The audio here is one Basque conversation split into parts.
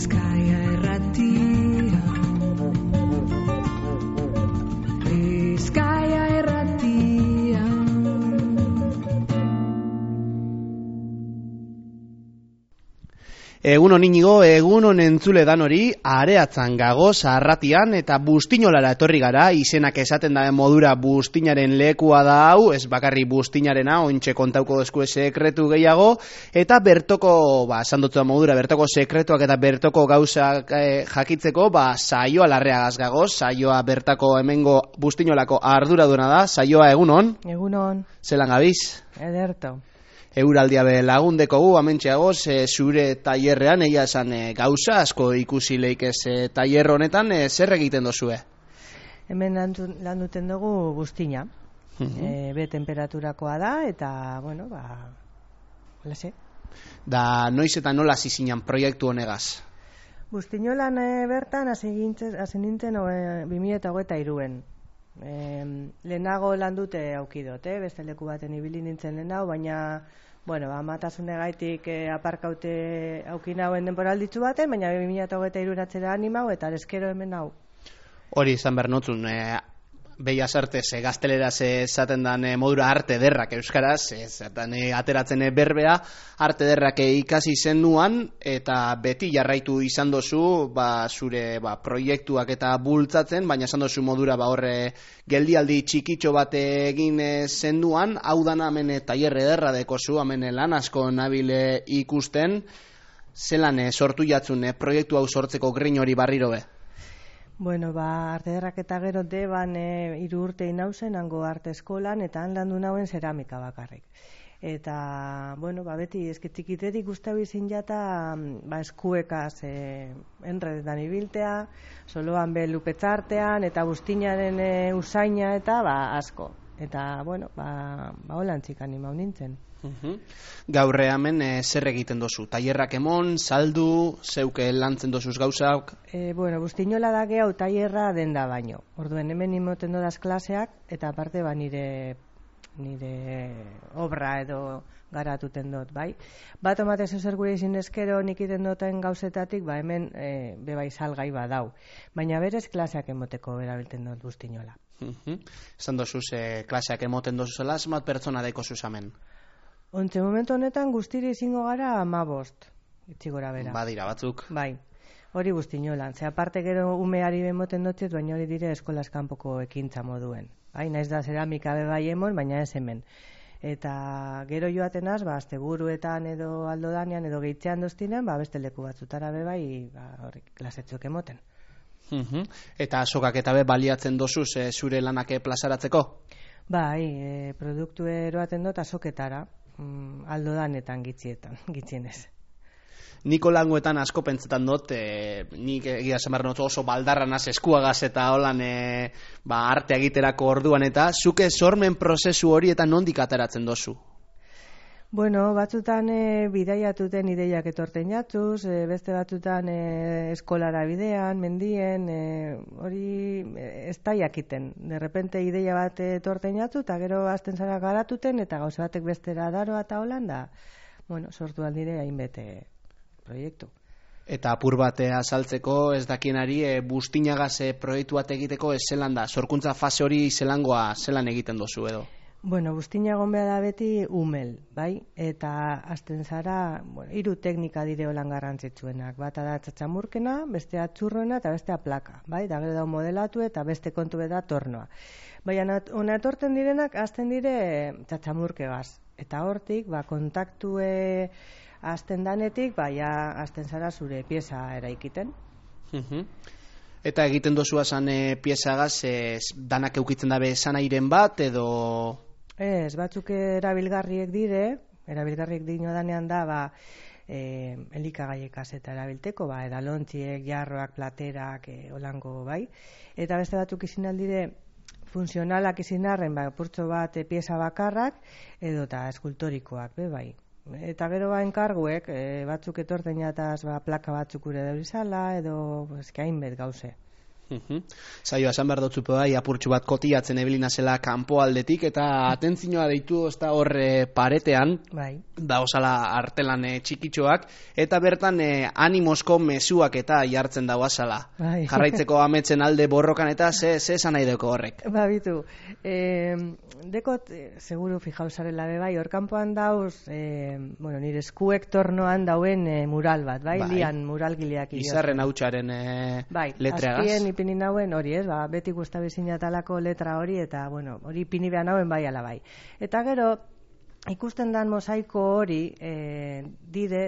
Bizkaia Irratia. Bizkaia Irratia. Egunon Inigo, egunon entzule danori, areatzan gagoz arratian eta Bustinolara etorri gara, izenak esaten da modura Bustinaren lekua da hau, ez bakarri Bustinarena, ointxe kontauko dezku sekretu gehiago, eta bertoko, esan dutza modura, bertoko sekretuak eta bertoko gauzak jakitzeko, saioa larreagaz gagoz, saioa bertako hemengo Bustinolako arduraduna da, saioa egunon? Egunon. Zelan gabiz? Ederto. Euraldia be lagundeko gu, amentxeagoz, zure tailerrean, egia esan gauza asko ikusi leikez tailer honetan, zer egiten dozue? Hemen lan duten dugu buztina. Be temperaturakoa da, eta, bueno, lase. Da, noiz eta nola zizinan proiektu honegaz? Bustinolan bertan hasi nintzen 2023-en. Lehenago lan dute aukidot, beste leku baten ibili nintzen lehenago, baina amatasune gaitik aparkaute aukinauen denboralditzu baten, baina 2023 atzera animau eta eskero hemen hau. Hori izan behar notzun, Beia sartez, gazteleraz esaten dan modura arte derrak euskaraz, ateratzen berbea, arte derrak ikasi zenduan, eta beti jarraitu izan dozu, zure proiektuak eta bultzatzen, baina esan dozu modura horre geldialdi txikitxo bat egin zenduan, hau dana hemen tailer ederra dekozu, hemen lan asko nabile ikusten, zelan sortu jatzun proiektu hau sortzeko grin hori barriro be? Bueno, arte ederrak eta gero deban 3 urte inauzen, hango arte eskolan, eta han landu nauen zeramika bakarrik. Eta, beti eskitxikitetik guztau izin jata, eskuekaz enredetan ibiltea, soloan be lupetzartean, eta bustinaren usaina, eta asko. Eta, holantzik animau nintzen. Gaur hemen zer egiten dozu? Tailerrak emon, saldu, zeuke lantzen dozuz gauzak? Bustinola da gehiago tailerra denda baino. Orduen hemen imoten dodaz klaseak, eta aparte nire obra edo garatuten dut, bai? Bat omatez zer gure izin eskero nik iten duten gauzetatik, hemen bebai salgai badau. Baina berez klaseak emoteko erabilten dut bustinola. Esan dozuz klaseak emoten dozuzela, zenbat pertsona daiko zuzamen? Ontze momentu honetan guztiri izango gara 15, itxigora bera. Badira batzuk. Bai, hori bustinolan. Ze aparte gero umeari bemoten dutziet, baina hori dire eskolaz kanpoko ekintza moduen. Bai, naiz da zeramika bebai emon, baina ez hemen. Eta gero joatenaz, asteburuetan edo aldodanean edo gehitzean doztinean, beste leku batzutara bebai, klasetzuk emoten. Eta azokak eta baliatzen dozuz zure lanak plazaratzeko? Bai, produktu eroaten dut azoketara. Aldodanetan gitzienez. Niko langoetan asko pentsetan dut, nik egia zemarren oso baldarranaz eskuagaz eta holan arte egiterako orduan, eta zuke sormen prozesu hori eta nondik ateratzen dozu? Batzutan bidaiatuten ideiak etorten jatzuz, beste batzutan eskolara bidean, mendien, hori ez da jakiten. De repente ideia bat etorten jatzu, eta gero azten zara garatuten, eta gauza batek bestera daroa eta holan da, sortu aldire hainbete proiektu. Eta apur bat azaltzeko, ez dakienari, bustinagaz proiektu bat egiteko ez zelan da, sorkuntza fase hori zelangoa zelan egiten dozu edo? Bustina egon behar da beti umel, bai? Eta azten zara, 3 teknika dire holan garrantzitsuenak. Bata da txatxamurkena, bestea txurroena eta bestea plaka, bai? Da gero da modelatu eta beste kontu da tornoa. Baina hona etorten direnak azten dire txatxamurkegaz. Eta hortik, kontaktue azten danetik, azten zara zure pieza eraikiten. Eta egiten dozua zan piezagaz, danak eukitzen dabe esanairen bat, edo... Ez, batzuk erabilgarriek dino danean da, elikagaiekaz eta erabilteko, edalontziek, jarroak, platerak, holango, bai. Eta beste batzuk izin aldire funtzionalak izin arren, purtso bat pieza bakarrak, edo eta eskultorikoak, bai. Eta gero enkarguek, batzuk etorten jataz plaka batzuk ure daurizala, edo hainbet gauze. Zaioa esan behar dutzu bai, apurtxu bat kotiatzen ebilina zela kanpo aldetik, eta atentzioa deitu ez da hor paretean, Bai. da osala artelan txikitxoak, eta bertan animosko mezuak eta jartzen dago azala. Bai. Jarraitzeko ametzen alde borrokan eta ze esan nahi deko horrek. Ba, bitu, dekot, seguru fijauzarela bai, hor kanpoan dauz, nire eskuek tornoan dauen mural bat, bai? Lian muralgileak Izarren hautsaren letreagaz. Azpien ipini nauen hori, ez, beti guztabizina talako letra hori, eta, hori ipini behar nauen bai ala bai. Eta gero, ikusten dan mosaiko hori, dire,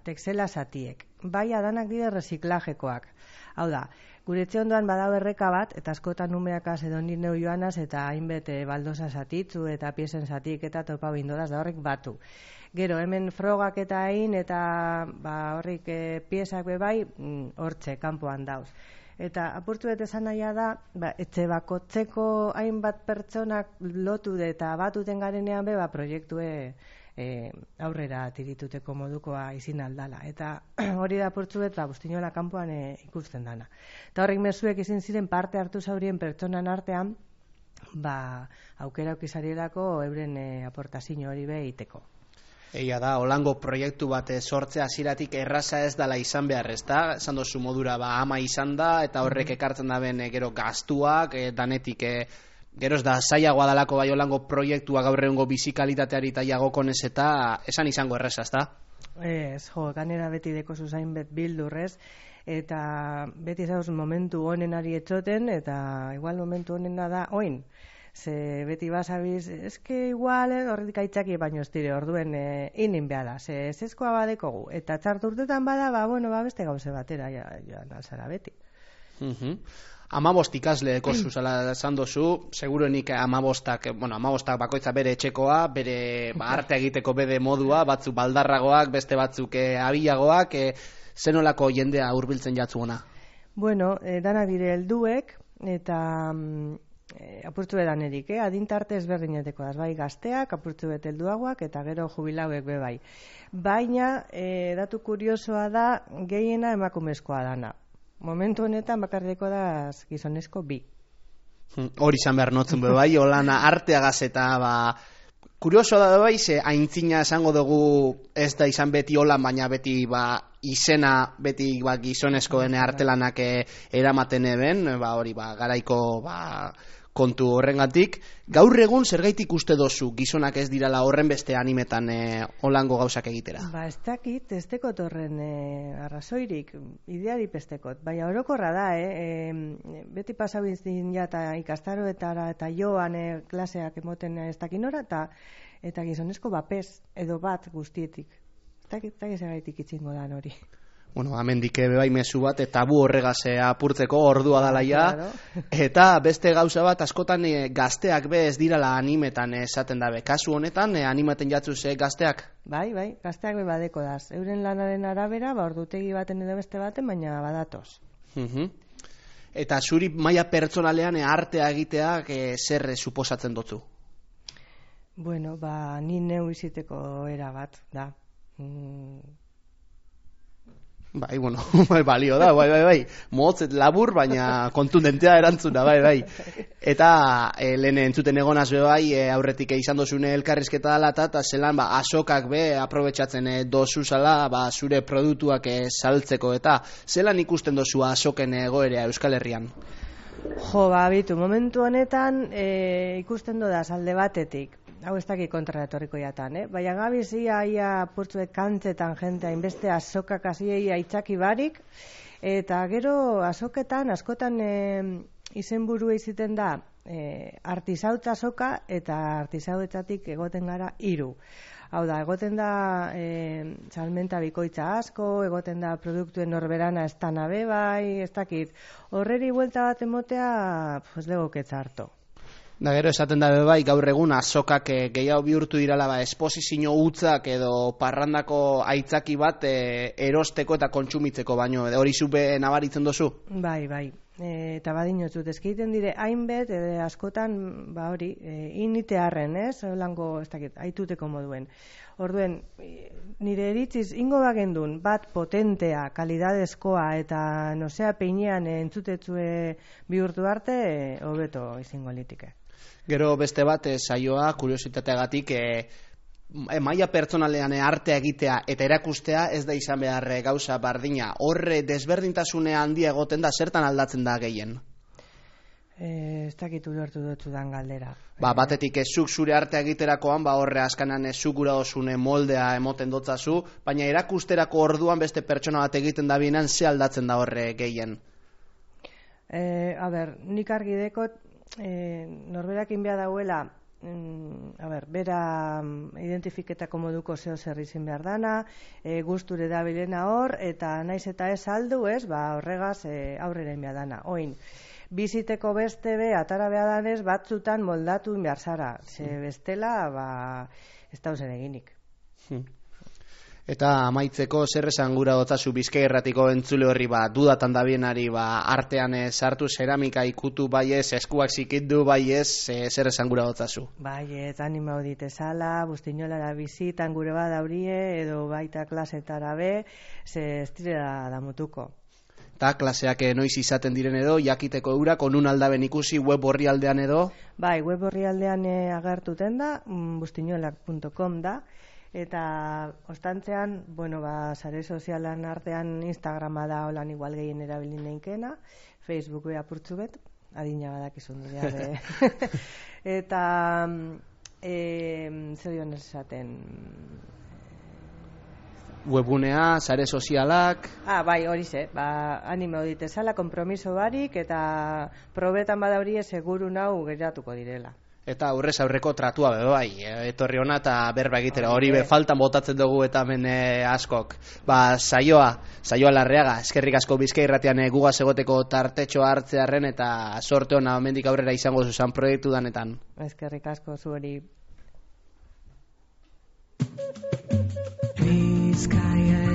texela zatiek. Bai, adanak dire reziklajekoak. Hau da, gure etxe ondoan badau erreka bat, eta askotan numeakaz edo neu joanaz, eta hainbet baldosa zatitzu, eta piesen zatik, eta topa bindodaz, da horrek batu. Gero, hemen frogak eta egin, eta horrik piesak bai, hortxe, kanpoan dauz. Eta apurtu eta esan nahia da, etxe bakotzeko hainbat pertsonak lotu eta batuten garenean proiektue aurrera tirituteko modukoa izin aldala. Eta hori da apurtu eta bustinola kanpoan ikusten dana. Eta horrek mezuek izin ziren parte hartu zaurien pertsonan artean, aukera aukizarielako euren aportazio hori iteko. Egia da, holango proiektu bat sortzea hasieratik erraza ez dala izan behar, ez da? Esan dozu modura ama izan da, eta horrek ekartzen da ben gero gaztuak, danetik gero ez da zailagoa dalako bai holango proiektua gaur egungo bizikalitateari eta jagokonez eta esan izango erraza, ez da? Ez, ganera beti deko zuzain bet bildurrez, eta beti zauz momentu honenari etxoten, eta igual momentu honena da oin. Ze beti basabiz, eske igual, horretik aitzaki baino ez dire, orduen inin behar da, ze ezkoa badekogu. Eta txartu urtetan bada, beste gauze batera, joan alzara beti. 15 ikasle zuzala esan dozu, seguruenik 15 bakoitza bere etxekoa, bere arte egiteko bede modua, batzuk baldarragoak, beste batzuk abilagoak, zenolako jendea hurbiltzen jatzuona? Danak dire helduek, eta apurtu edan erik, adintarte ezberdineteko da, bai gazteak, apurtu bet helduagoak, eta gero jubilauek bai. Baina, datu kuriosoa da, gehiena emakumezkoa dana. Momentu honetan bakarreko da gizonezko 2. Hori izan behar notzen bai, holana arteagaz eta kurioso da bai, ze aintzina esango dugu ez da izan beti holan, baina beti izena beti gizonezkoen artelanak eramaten eben, hori garaiko kontu horrengatik. Gaur egun zergaitik uste dozu gizonak ez dirala horren beste animetan holango gauzak egitera? Ez dakit, ez dekot horren arrazoirik, ideari pestekot. Baina orokorra da, beti pasabintzin ja eta ikastaroetara eta joan klaseak emoten ez dakinora, eta gizonezko bapez edo bat guztietik. Ez dakit zergaitik itxingo dan hori. Amendik bai mezu bat, tabu horregaz apurtzeko ordua dalaia, eta beste gauza bat, askotan gazteak ez dirala animetan esaten dabe. Kasu honetan, animaten jatzuz gazteak? Bai, gazteak badeko daz. Euren lanaren arabera, ordutegi baten edo beste baten, baina badatoz. Eta zuri maila pertsonalean artea egiteak zer suposatzen dutzu? Ni neu iziteko era bat, da. Balio da, bai. Motzet labur, baina kontundentea erantzuna, bai. Eta lehen entzuten egonaz bai, aurretik izan dozune elkarrizketa dala, eta zelan asokak aprobetxatzen dozuzala zure produktuak saltzeko, eta zelan ikusten dozu asoken egoerea Euskal Herrian? Bitu, momentu honetan ikusten dodaz alde batetik. Hau ez dakik kontraretorriko jatan, baina gabiz ia purtzuek kantzetan jente hainbeste azokak aziei aitzaki barik, eta gero azoketan, askotan izenburu iziten da artisautza azoka, eta artisauetzatik egoten gara 3. Hau da, egoten da salmenta bikoitza asko, egoten da produktuen norberana ez tanabe bai, ez dakit, horreri buelta bat emotea, legoketza harto. Da gero esaten da bai, gaur egun azokak gehiago bihurtu dirala esposizio hutzak edo parrandako aitzaki bat erosteko eta kontsumitzeko, baino hori zupe nabaritzen dozu? Bai, eta badinotzut, ezkeiten dire hainbet, askotan, hori, initearren, holango, ez dakit, aituteko moduen. Orduen, nire eritziz, ingo bagendun, bat potentea, kalidadezkoa, eta nosea peinean entzutetzue bihurtu arte, hobeto izango litike. Gero beste bat, saioa, kuriositateagatik, maila pertsonalean artea egitea eta erakustea ez da izan behar gauza bardina. Horre desberdintasune handia egoten da, zertan aldatzen da gehien? Ez dakit ulertu dutzudan galdera. Batetik zuk zure artea egiterakoan, horre askanan zuk gura osune moldea emoten dotzazu, baina erakusterako orduan beste pertsona bat egiten da binan, ze aldatzen da horre gehien? Nik argi dekot, norberakin behar dauela, bera identifiketako moduko zeo zer izin behar dana, gusture da bilena hor, eta naiz eta ez aldu horregaz aurrera behar dana. Oin, biziteko beste atara behar danez, batzutan moldatu behar zara, ze bestela, ez da uzen eginik. Eta amaitzeko, zer esan gura dotzazu Bizkai Irratiko entzule horri dudatan da bienari artean sartu zeramika ikutu baiez, eskuak zikindu baiez, zer esan gura dotzazu? Baiez, anima hodite sala, bustinolara bizitan gure badaurie, edo baita klasetara be, ze ez direla damutuko. Eta klaseak noiz izaten diren edo, jakiteko eurak, onun aldaben ikusi web horri aldean edo? Bai, web horri aldean agertuten da, bustinolak.com da, eta ostantzean, sare sozialan artean Instagrama da holan igual gehien erabilin neinkena, Facebook apurtzu bet, adina badakizun dira. Eta zer dion esaten? Webunea, sare sozialak... Bai, hori ze, anime hodite zala, kompromiso barik, eta probetan badaurie seguru nau geratuko direla. Eta aurrez aurreko tratua bai, etorri hona eta berba egitera, hori faltan botatzen dugu eta hemen askok. Saioa Larreaga, eskerrik asko Bizkai Irratian gugaz egoteko tartetxoa hartzearren eta sorte hona hemendik aurrera izango zuzan proiektu danetan. Eskerrik asko zuhori. Bizkaia